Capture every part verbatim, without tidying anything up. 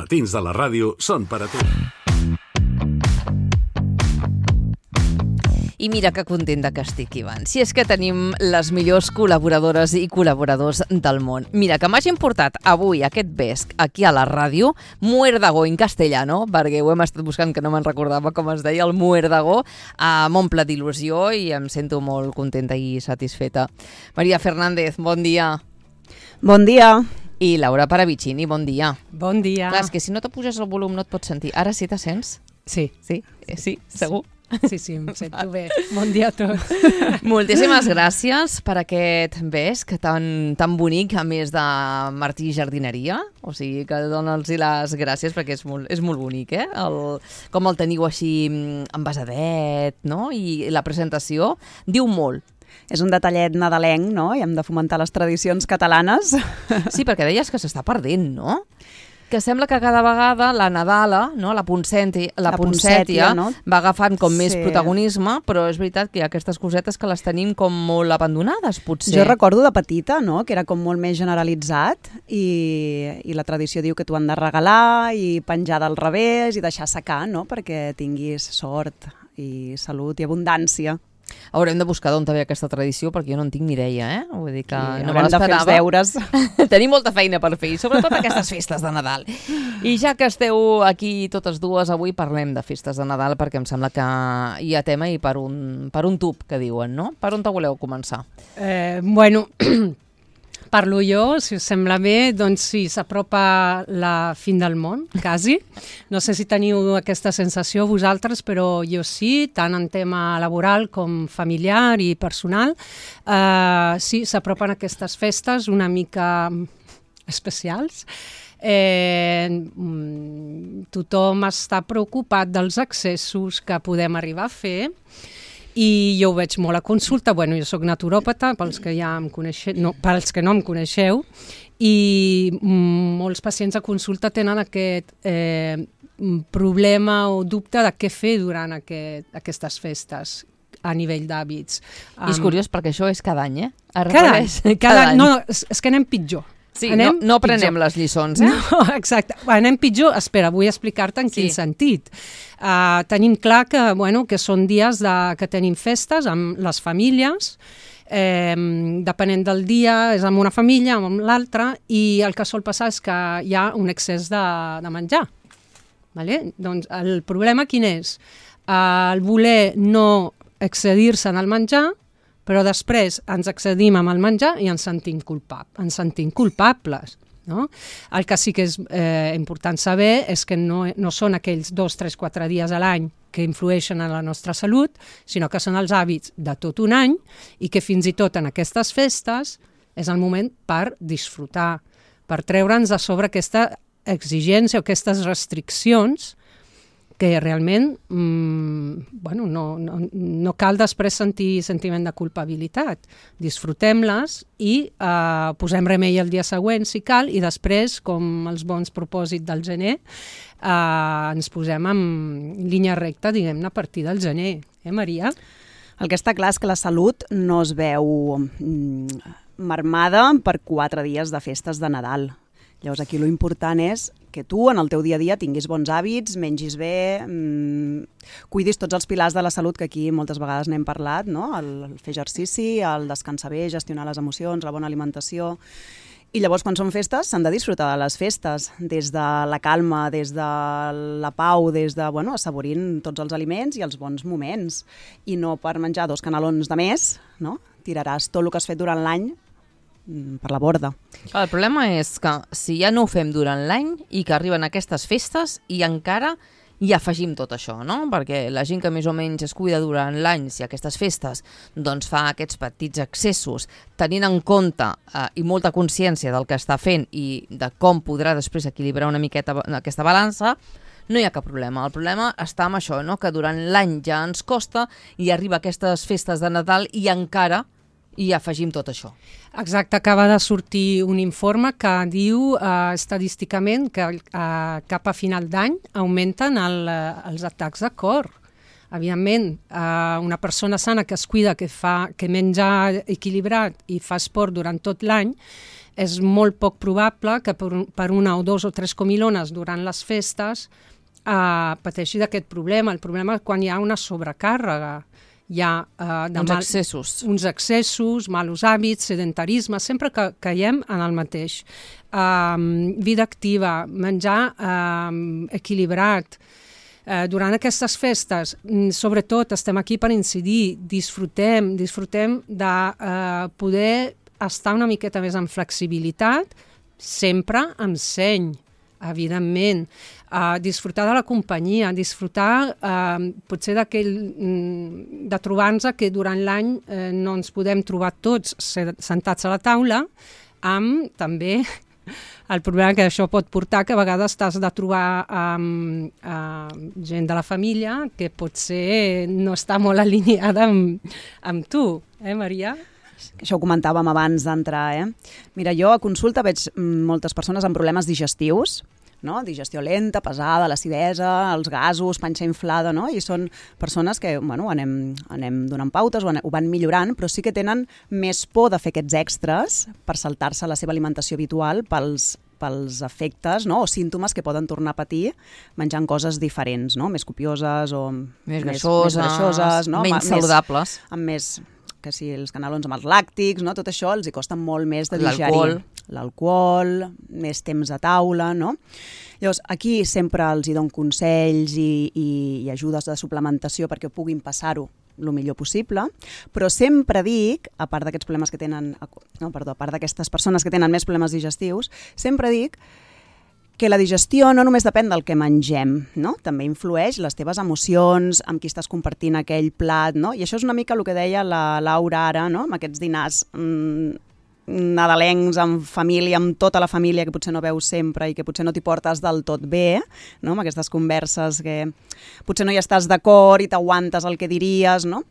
Matins de la ràdio són per a tu. I mira que contenta que estic, Ivan. Si és que tenim les millors col·laboradores i col·laboradors del món. Mira, que m'hagin portat avui aquest vesc aquí a la ràdio, muérdago en castellano, perquè ho hem estat buscant que no me'n recordava com es deia, el muérdago, eh, m'omple d'il·lusió i em sento molt contenta i satisfeta. Maria Fernández, bon dia. Bon dia. I Laura Paravicini, bon dia. Bon dia. Clar, és que si no te puges el volum no et pots sentir. Ara sí te sents? Sí. Sí? Eh, sí? Segur? Sí, sí, em sento bé. Bon dia a tots. Moltíssimes gràcies per aquest vesc tan, tan bonic, a més de Martí Jardineria. O sigui, que dona'ls les gràcies perquè és molt, és molt bonic, eh? El, com el teniu així envasadet, no? I la presentació diu molt. És un detallet nadalenc, no? I hem de fomentar les tradicions catalanes. Sí, perquè deies que s'està perdent, no? Que sembla que cada vegada la Nadala, no, la Ponsètia, la La Ponsètia, Ponsètia, no? va agafant com més Sí. protagonisme, però és veritat que hi ha aquestes cosetes que les tenim com molt abandonades, potser. Jo recordo de petita, no?, que era com molt més generalitzat i, i la tradició diu que t'ho han de regalar i penjar del revés i deixar secar, no?, perquè tinguis sort i salut i abundància. Haurem de buscar d'on ve aquesta tradició, perquè jo no en tinc ni idea, eh? Vull dir que I no me haurem de fer els l'esperava. deures. Tenim molta feina per fer, i sobretot aquestes festes de Nadal. I ja que esteu aquí totes dues, avui parlem de festes de Nadal, perquè em sembla que hi ha tema i per un, per un tub, que diuen, no? Per on te voleu començar? Eh, bueno, parlo jo, si us sembla bé, doncs sí, s'apropa la fin del món, quasi. No sé si teniu aquesta sensació vosaltres, però jo sí, tant en tema laboral com familiar i personal. Eh, sí, s'apropen aquestes festes una mica especials. Eh, tothom està preocupat dels excessos que podem arribar a fer, i jo ho veig molt a consulta. Bueno, jo soc naturòpata, pels que ja em coneixeu, no, pels que no em coneixeu, i molts pacients a consulta tenen aquest eh, problema o dubte de què fer durant aquest, aquestes festes a nivell d'hàbits. I és curiós perquè això és cada any, eh? Es Cada any, repeteix cada any. No, és, és que anem pitjor. Sí, anem no, no prenem pitjor. les lliçons, eh? No, exacte. Anem pitjor. Espera, vull explicar-te en Sí. quin sentit. Uh, tenim clar que, bueno, que són dies de, que tenim festes amb les famílies, eh, depenent del dia, és amb una família, amb l'altra, i el que sol passar és que hi ha un excés de, de menjar. Vale? Doncs el problema quin és? Uh, el voler no excedir-se en el menjar, però després ens excedim amb el menjar i ens sentim, culpab ens sentim culpables. No? El que sí que és eh, important saber és que no, no són aquells dos, tres, quatre dies a l'any que influeixen en la nostra salut, sinó que són els hàbits de tot un any i que fins i tot en aquestes festes és el moment per disfrutar, per treure'ns de sobre aquesta exigència o aquestes restriccions que realment mmm, bueno, no, no, no cal després sentir sentiment de culpabilitat. Disfrutem-les i eh, posem remei el dia següent, si cal, i després, com els bons propòsits del gener, eh, ens posem en línia recta, diguem-ne, a partir del gener. Eh, Maria? El que està clar és que la salut no es veu mm, marmada per quatre dies de festes de Nadal. Llavors aquí lo important és que tu en el teu dia a dia tinguis bons hàbits, mengis bé, mmm, cuidis tots els pilars de la salut que aquí moltes vegades n'hem parlat, no? El, el fer exercici, el descansar bé, gestionar les emocions, la bona alimentació. I llavors quan són festes s'han de disfrutar de les festes, des de la calma, des de la pau, des de, bueno, assaborint tots els aliments i els bons moments. I no per menjar dos canelons de més, no? Tiraràs tot el que has fet durant l'any per la borda. El problema és que si ja no ho fem durant l'any i que arriben aquestes festes i encara hi afegim tot això, no? Perquè la gent que més o menys es cuida durant l'any, si aquestes festes doncs fa aquests petits excessos, tenint en compte eh, i molta consciència del que està fent i de com podrà després equilibrar una miqueta aquesta balança, no hi ha cap problema. El problema està amb això, no? Que durant l'any ja ens costa i arriba aquestes festes de Nadal i encara i afegim tot això. Exacte, acaba de sortir un informe que diu eh, estadísticament que eh, cap a final d'any augmenten el, eh, els atacs de cor. Evidentment, eh, una persona sana que es cuida, que, fa, que menja equilibrat i fa esport durant tot l'any, és molt poc probable que per, per una o dos o tres comilones durant les festes eh, pateixi d'aquest problema. El problema és quan hi ha una sobrecàrrega, hi ha eh, de uns mal, excessos. uns excessos, malos hàbits, sedentarisme, sempre que caiem en el mateix. Um, vida activa, menjar um, equilibrat. Uh, durant aquestes festes, sobretot, estem aquí per incidir, disfrutem, disfrutem de uh, poder estar una miqueta més en flexibilitat, sempre amb seny, evidentment. Uh, disfrutar de la companyia, disfrutar uh, potser d'aquell de trobar-nos que durant l'any uh, no ens podem trobar tots sentats a la taula, amb també el problema que això pot portar que a vegades t'has de trobar um, uh, gent de la família que potser no està molt alineada amb, amb tu, eh, Maria? Això ho comentàvem abans d'entrar, eh? Mira, jo a consulta veig moltes persones amb problemes digestius, no? Digestió lenta, pesada, l'acidesa, els gasos, panxa inflada, no? I són persones que, bueno, anem, anem donant pautes, ho, anem, ho van millorant, però sí que tenen més por de fer aquests extras per saltar-se la seva alimentació habitual pels, pels efectes, no? O símptomes que poden tornar a patir menjant coses diferents, no? Més copioses o més greixoses, més, més greixoses, no? menys saludables. Més, amb més, que si els canelons amb els làctics, no? Tot això els hi costa molt més de digerir. L'alcohol. L'alcohol, més temps a taula, no? Llavors, aquí sempre els hi dono consells i, i, i ajudes de suplementació perquè puguin passar-ho el millor possible, però sempre dic, a part d'aquests problemes que tenen, no, perdó, a part d'aquestes persones que tenen més problemes digestius, sempre dic que la digestió no només depèn del que mengem, no? També influeix les teves emocions, amb qui estàs compartint aquell plat, no? I això és una mica el que deia la Laura ara, no? Amb aquests dinars mmm, nadalencs, amb família, amb tota la família que potser no veus sempre i que potser no t'hi portes del tot bé, no? Amb aquestes converses que potser no hi estàs d'acord i t'aguantes el que diries, no?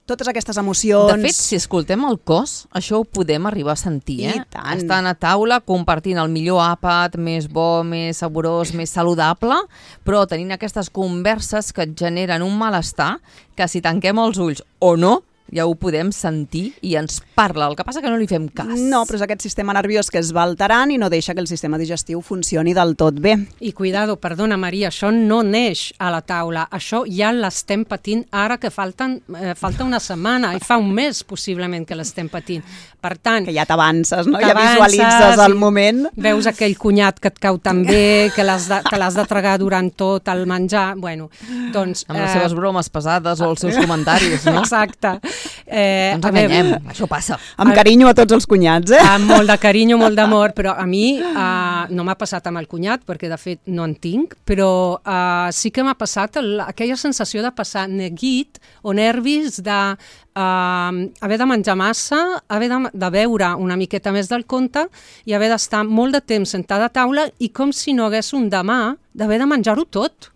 Totes aquestes emocions... De fet, si escoltem el cos, això ho podem arribar a sentir, eh? I tant. Estan a taula compartint el millor àpat, més bo, més saborós, més saludable, però tenint aquestes converses que et generen un malestar que si tanquem els ulls o no, ja ho podem sentir i ens parla. El que passa que no li fem cas. No, però és aquest sistema nerviós que es va alterant i no deixa que el sistema digestiu funcioni del tot bé. I cuidado, perdona Maria, això no neix a la taula, això ja l'estem patint ara que falten, eh, falta una setmana i fa un mes possiblement que l'estem patint. Per tant... Que ja t'avances, no? Ja visualitzes el moment. Veus aquell cunyat que et cau tan bé, que l'has de, que l'has de tragar durant tot el menjar, bueno, doncs... Amb les eh... seves bromes pesades o els seus comentaris, no? Exacte. Eh, no ens enganyem, això passa. Amb carinyo a tots els cunyats, eh? Amb molt de carinyo, molt d'amor, però a mi eh, no m'ha passat amb el cunyat, perquè de fet no en tinc, però eh, sí que m'ha passat el, aquella sensació de passar neguit o nervis de eh, haver de menjar massa, haver de, de beure una miqueta més del compte i haver d'estar molt de temps sentada a taula i com si no hagués un demà d'haver de menjar-ho tot.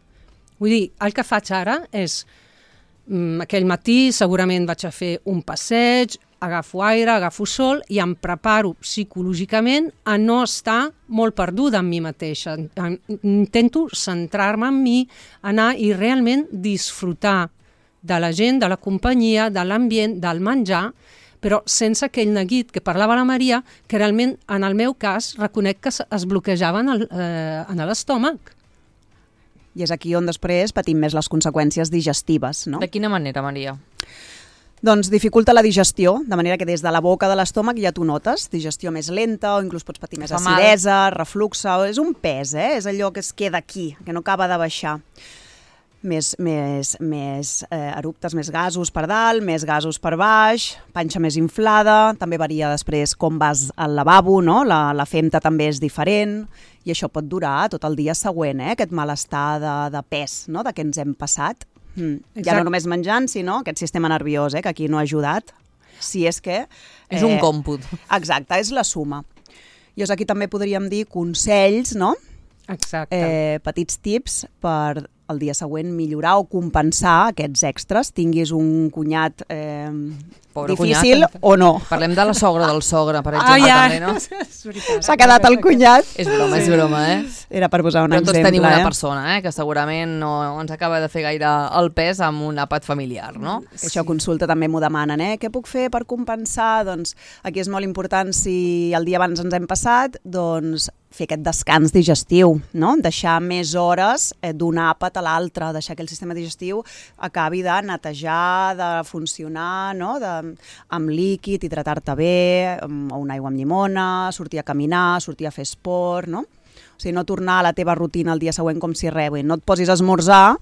Vull dir, el que faig ara és... Aquell matí segurament vaig a fer un passeig, agafo aire, agafo sol i em preparo psicològicament a no estar molt perduda en mi mateixa. Intento centrar-me en mi, anar i realment disfrutar de la gent, de la companyia, de l'ambient, del menjar, però sense aquell neguit que parlava la Maria, que realment en el meu cas reconec que es bloquejava en l'estómac. I és aquí on després patim més les conseqüències digestives, no? De quina manera, Maria? Doncs dificulta la digestió, de manera que des de la boca de l'estómac ja tu notes digestió més lenta o inclús pots patir més acidesa, refluxa, és un pes, eh? És allò que es queda aquí, que no acaba de baixar. Més, més, més eh, eruptes, més gasos per dalt, més gasos per baix, panxa més inflada, també varia després com vas al lavabo, no? La, la femta també és diferent i això pot durar tot el dia següent, eh? Aquest malestar de, de pes, no? De què ens hem passat. Mm. Ja no només menjant, sinó aquest sistema nerviós, eh? Que aquí no ha ajudat, si és que... Eh, és un còmput. Exacte, és la suma. Llavors aquí també podríem dir consells, no? Exacte. Eh, petits tips per el dia següent millorar o compensar aquests extras, tinguis un cunyat eh, difícil cunyat. o no. Parlem de la sogra del sogre, per exemple, Ah, ja. també, no? S'ha quedat el cunyat. És broma, és broma, eh? Era per posar un Però tots exemple. tenim una eh? persona, eh, que segurament no ens acaba de fer gaire el pes amb un àpat familiar, no? Que això consulta també m'ho demanen, eh? Què puc fer per compensar? Doncs aquí és molt important, si el dia abans ens hem passat, doncs fer aquest descans digestiu, no? Deixar més hores eh, d'un àpat a l'altre, deixar que el sistema digestiu acabi de netejar, de funcionar, no? De, amb líquid, hidratar-te bé, amb, o una aigua amb llimona, sortir a caminar, sortir a fer esport, no? O sigui, no tornar a la teva rutina el dia següent com si res, no et posis a esmorzar,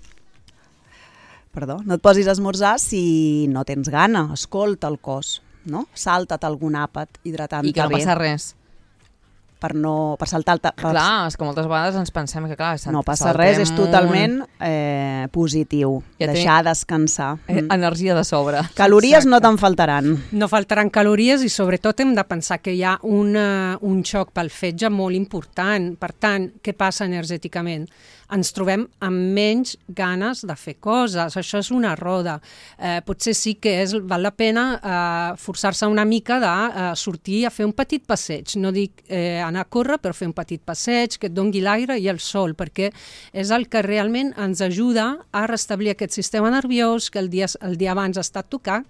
perdó, no et posis a esmorzar si no tens gana, escolta el cos, no? Salta't algun àpat hidratant-te bé. I que no passa res. Per, no, per saltar-te... Per... Clar, és que moltes vegades ens pensem que, clar, No passa res, és totalment eh, positiu. Ja deixar descansar. Eh, Mm. energia de sobre. Calories Exacte. no te'n faltaran. No faltaran calories i sobretot hem de pensar que hi ha una, un xoc pel fetge molt important. Per tant, què passa energèticament? Ens trobem amb menys ganes de fer coses. Això és una roda. Eh, potser sí que és, val la pena eh, forçar-se una mica de eh, sortir a fer un petit passeig. No dic eh, anar a córrer, però fer un petit passeig que et dongui l'aire i el sol, perquè és el que realment ens ajuda a restablir aquest sistema nerviós que el dia, el dia abans ha estat tocat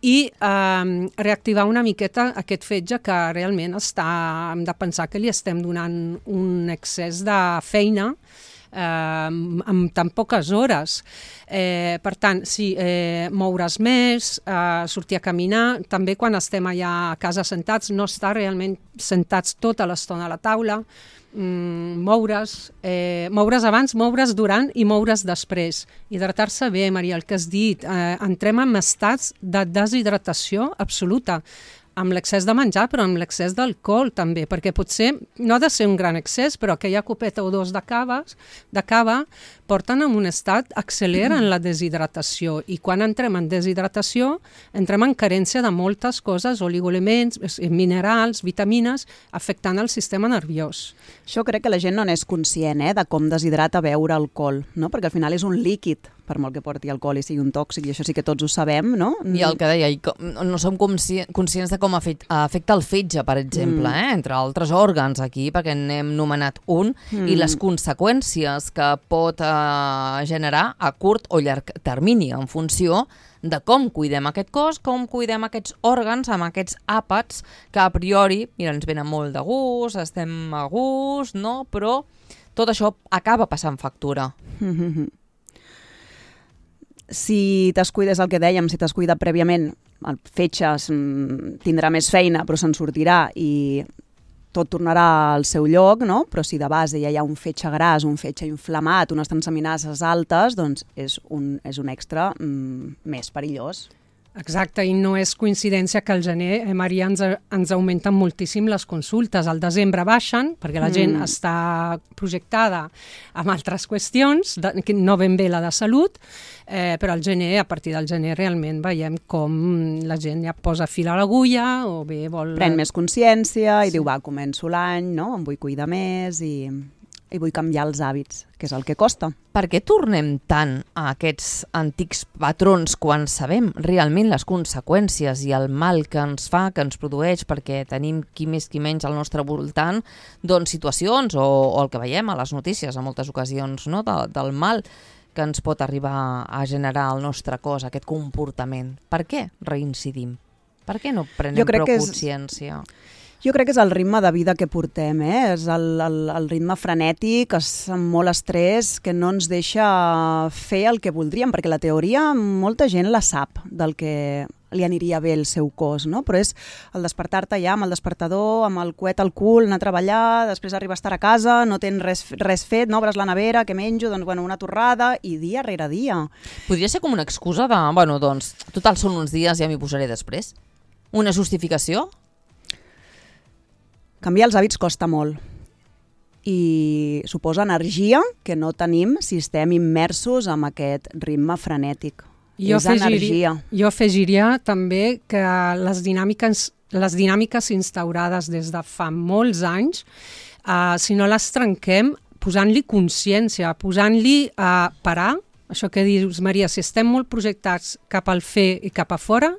i eh, reactivar una miqueta aquest fetge que realment està, hem de pensar que li estem donant un excés de feina eh, amb tan poques hores. Eh, per tant, sí, eh, moure's més, eh, sortir a caminar, també quan estem allà a casa sentats, no estar realment sentats tota l'estona a la taula, mm, moure's, eh, moure's abans, moure's durant i moure's després. Hidratar-se bé, Maria, el que has dit, eh, entrem en estats de deshidratació absoluta, amb l'excés de menjar, però amb l'excés d'alcohol també, perquè potser no ha de ser un gran excés, però aquella copeta o dos de cava, de cava porten en un estat, acceleren la deshidratació, i quan entrem en deshidratació, entrem en carència de moltes coses, oligoelements, minerals, vitamines, afectant el sistema nerviós. Això crec que la gent no n'és conscient, eh, de com deshidrata beure alcohol, no? Perquè al final és un líquid, per molt que porti alcohol i sigui un tòxic, i això sí que tots ho sabem, no? I el que deia, i com, no som consci conscients de com afecta, afecta el fetge, per exemple, mm. eh? entre altres òrgans aquí, perquè n'hem nomenat un, mm. i les conseqüències que pot eh, generar a curt o llarg termini, en funció de com cuidem aquest cos, com cuidem aquests òrgans amb aquests àpats que a priori, mira, ens venen molt de gust, estem a gust, no? Però tot això acaba passant factura. Mm-hmm. Si t'has cuidat, és el que dèiem, si t'has cuidat prèviament, el fetge tindrà més feina, però se'n sortirà i tot tornarà al seu lloc, no? Però si de base ja hi ha un fetge gras, un fetge inflamat, unes transaminases altes, doncs és un, és un extra mm, més perillós. Exacte, i no és coincidència que al gener, eh, Maria, ens, ens augmenten moltíssim les consultes. Al desembre baixen, perquè la gent mm. està projectada amb altres qüestions, de, no ben bé la de salut, eh, però al gener, a partir del gener, realment veiem com la gent ja posa fil a l'agulla o bé vol... Pren més consciència i Sí. diu, va, començo l'any, no? Em vull cuidar més i... i vull canviar els hàbits, que és el que costa. Per què tornem tant a aquests antics patrons quan sabem realment les conseqüències i el mal que ens fa, que ens produeix, perquè tenim qui més qui menys al nostre voltant, doncs situacions o, o el que veiem a les notícies en moltes ocasions, no? de, del mal que ens pot arribar a generar al nostre cos, aquest comportament. Per què reincidim? Per què no prenem prou és... consciència? Jo crec que és el ritme de vida que portem, eh? És el, el, el ritme frenètic, és amb molt estrès, que no ens deixa fer el que voldríem, perquè la teoria molta gent la sap del que li aniria bé el seu cos, no? Però és el despertar-te ja amb el despertador, amb el coet al cul, anar a treballar, després arribar a estar a casa, no tens res, res fet, no obres la nevera, què menjo, doncs bueno, una torrada, i dia rere dia. Podria ser com una excusa de, bueno, doncs, total són uns dies, ja m'hi posaré després. Una justificació? Canviar els hàbits costa molt i suposa energia que no tenim si estem immersos en aquest ritme frenètic. Jo és energia. Jo afegiria també que les dinàmiques, les dinàmiques instaurades des de fa molts anys, eh, si no les trenquem, posant-li consciència, posant-li a parar, això que dius, Maria, si estem molt projectats cap al fer i cap a fora,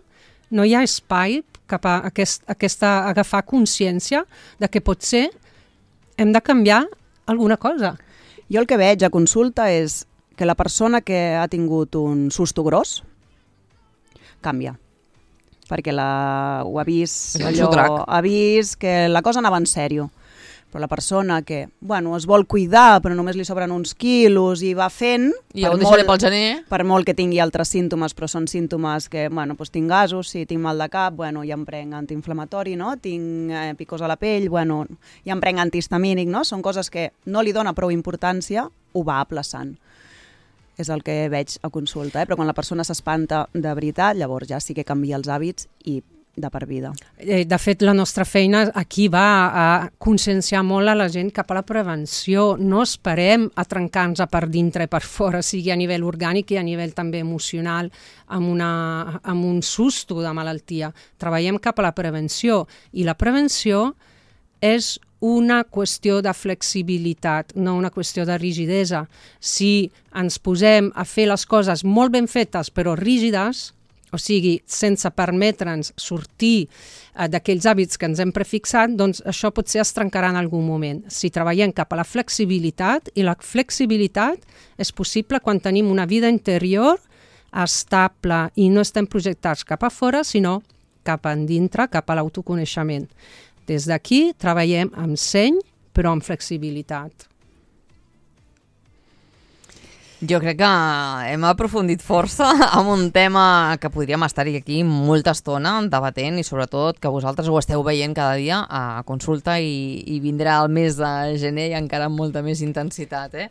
no hi ha espai cap a aquest, aquesta, agafar consciència de que potser hem de canviar alguna cosa. Jo el que veig a consulta és que la persona que ha tingut un susto gros canvia. Perquè la, ho ha vist, allò, ha vist que la cosa anava en sèrio. Però la persona que, bueno, es vol cuidar, però només li sobren uns quilos i va fent... I ho deixaré pel gener. Per molt que tingui altres símptomes, però són símptomes que, bueno, doncs tinc gasos, si tinc mal de cap, bueno, ja em prenc antiinflamatori, no? Tinc eh, picors a la pell, bueno, ja em prenc antihistamínic, no? Són coses que no li dona prou importància, ho va aplaçant. És el que veig a consulta, eh? Però quan la persona s'espanta de veritat, llavors ja sí que canvia els hàbits i de per vida. De fet, la nostra feina aquí va a conscienciar molt a la gent cap a la prevenció. No esperem a trencar-nos per dintre i per fora, sigui a nivell orgànic i a nivell també emocional, amb, una, amb un susto de malaltia. Treballem cap a la prevenció i la prevenció és una qüestió de flexibilitat, no una qüestió de rigidesa. Si ens posem a fer les coses molt ben fetes però rígides, o sigui, sense permetre'ns sortir eh, d'aquells hàbits que ens hem prefixat, doncs això potser es trencarà en algun moment. Si treballem cap a la flexibilitat, i la flexibilitat és possible quan tenim una vida interior estable i no estem projectats cap a fora, sinó cap a dintre, cap a l'autoconeixement. Des d'aquí treballem amb seny, però amb flexibilitat. Jo crec que hem aprofundit força en un tema que podríem estar-hi aquí molta estona debatent i sobretot que vosaltres ho esteu veient cada dia a consulta i, i vindrà el mes de gener i encara amb molta més intensitat, eh?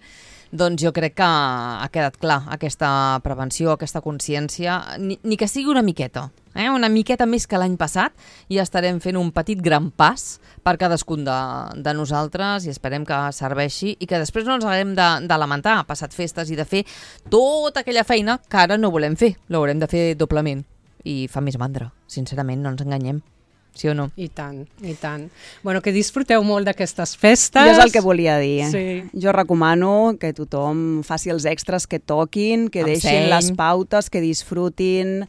Doncs jo crec que ha quedat clar aquesta prevenció, aquesta consciència, ni, ni que sigui una miqueta, eh? Una miqueta més que l'any passat i estarem fent un petit gran pas per cadascun de, de nosaltres i esperem que serveixi i que després no ens haguem de, de lamentar, passat festes i de fer tota aquella feina que ara no volem fer, l'haurem de fer doblement i fa més mandra, sincerament, no ens enganyem. Sí o no? I tant, i tant. Bueno, que disfruteu molt d'aquestes festes. Jo és el que volia dir. Sí. Jo recomano que tothom faci els extras que toquin, que Amb deixin seny. les pautes, que disfrutin,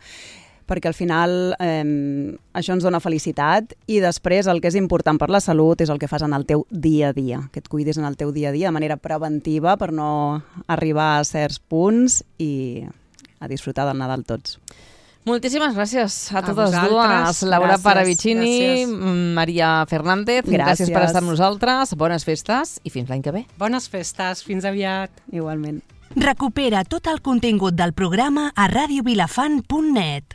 perquè al final eh, això ens dona felicitat i després el que és important per la salut és el que fas en el teu dia a dia, que et cuidis en el teu dia a dia de manera preventiva per no arribar a certs punts i a disfrutar del Nadal tots. Moltíssimes gràcies a, A totes vosaltres. dues. Laura Gràcies, Paravicini, gràcies. Maria Fernández, gràcies. gràcies per estar amb nosaltres, bones festes i fins l'any que ve. Bones festes, fins aviat. Igualment. Recupera tot el contingut del programa a radio vilafant punt net.